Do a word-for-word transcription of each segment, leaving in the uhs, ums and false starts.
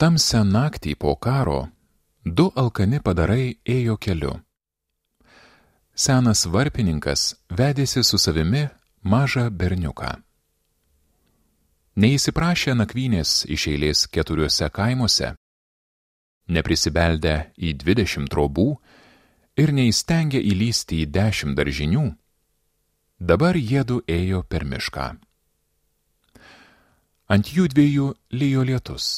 Tamsią naktį po karo du alkani padarai ėjo keliu. Senas varpininkas vedėsi su savimi mažą berniuką. Neįsiprašė nakvynės iš eilės keturiuose kaimuose, neprisibeldę į dvidešimt trobų ir neįstengė įlysti į dešimt daržinių, dabar jiedu ėjo per mišką. Ant jų dviejų lijo lietus.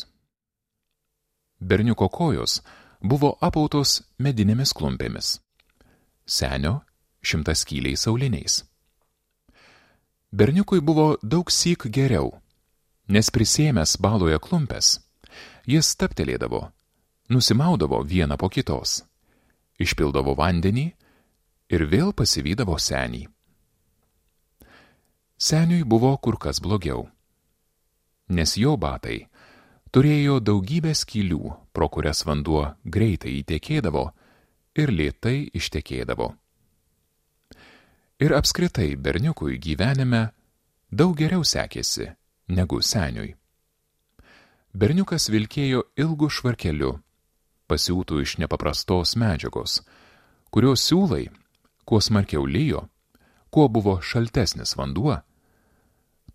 Berniuko kojos buvo apautos medinėmis klumpėmis, senio šimtaskyliais auliniais. Berniukui buvo daug syk geriau, nes prisėmęs baloje klumpes, jis stabtelėdavo, nusimaudavo vieną po kitos, išpildavo vandenį ir vėl pasivydavo senį. Seniui buvo kur kas blogiau, nes jo batai turėjo daugybę skylių, pro kurias vanduo greitai įtekėdavo ir lėtai ištekėdavo. Ir apskritai berniukui gyvenime daug geriau sekėsi negu seniui. Berniukas vilkėjo ilgu švarkeliu, pasiūtų iš nepaprastos medžiagos, kurios siūlai, kuo smarkiau lijo, kuo buvo šaltesnis vanduo,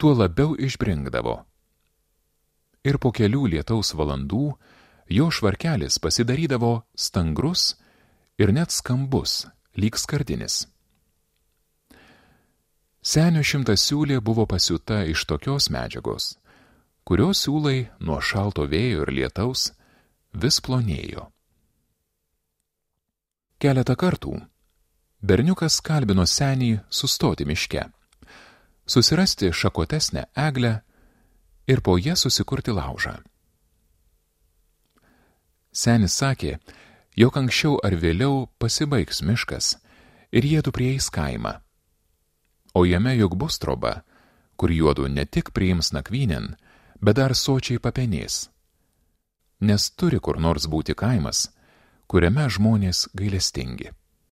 tuo labiau išbrinkdavo. Ir po kelių lietaus valandų jo švarkelis pasidarydavo stangrus ir net skambus, lyg skardinis. Senio šimtasiūlė buvo pasiūta iš tokios medžiagos, kurios siūlai nuo šalto vėjo ir lietaus vis plonėjo. Keletą kartų berniukas kalbino senį sustoti miške, susirasti šakotesnę eglę ir po ją susikurti laužą. Senis sakė, jog anksčiau ar vėliau pasibaigs miškas ir jiedu prieis kaimą, o jame juk bus troba, kur juodu ne tik priims nakvynėn, bet dar sočiai papenės, nes turi kur nors būti kaimas, kuriame žmonės gailestingi.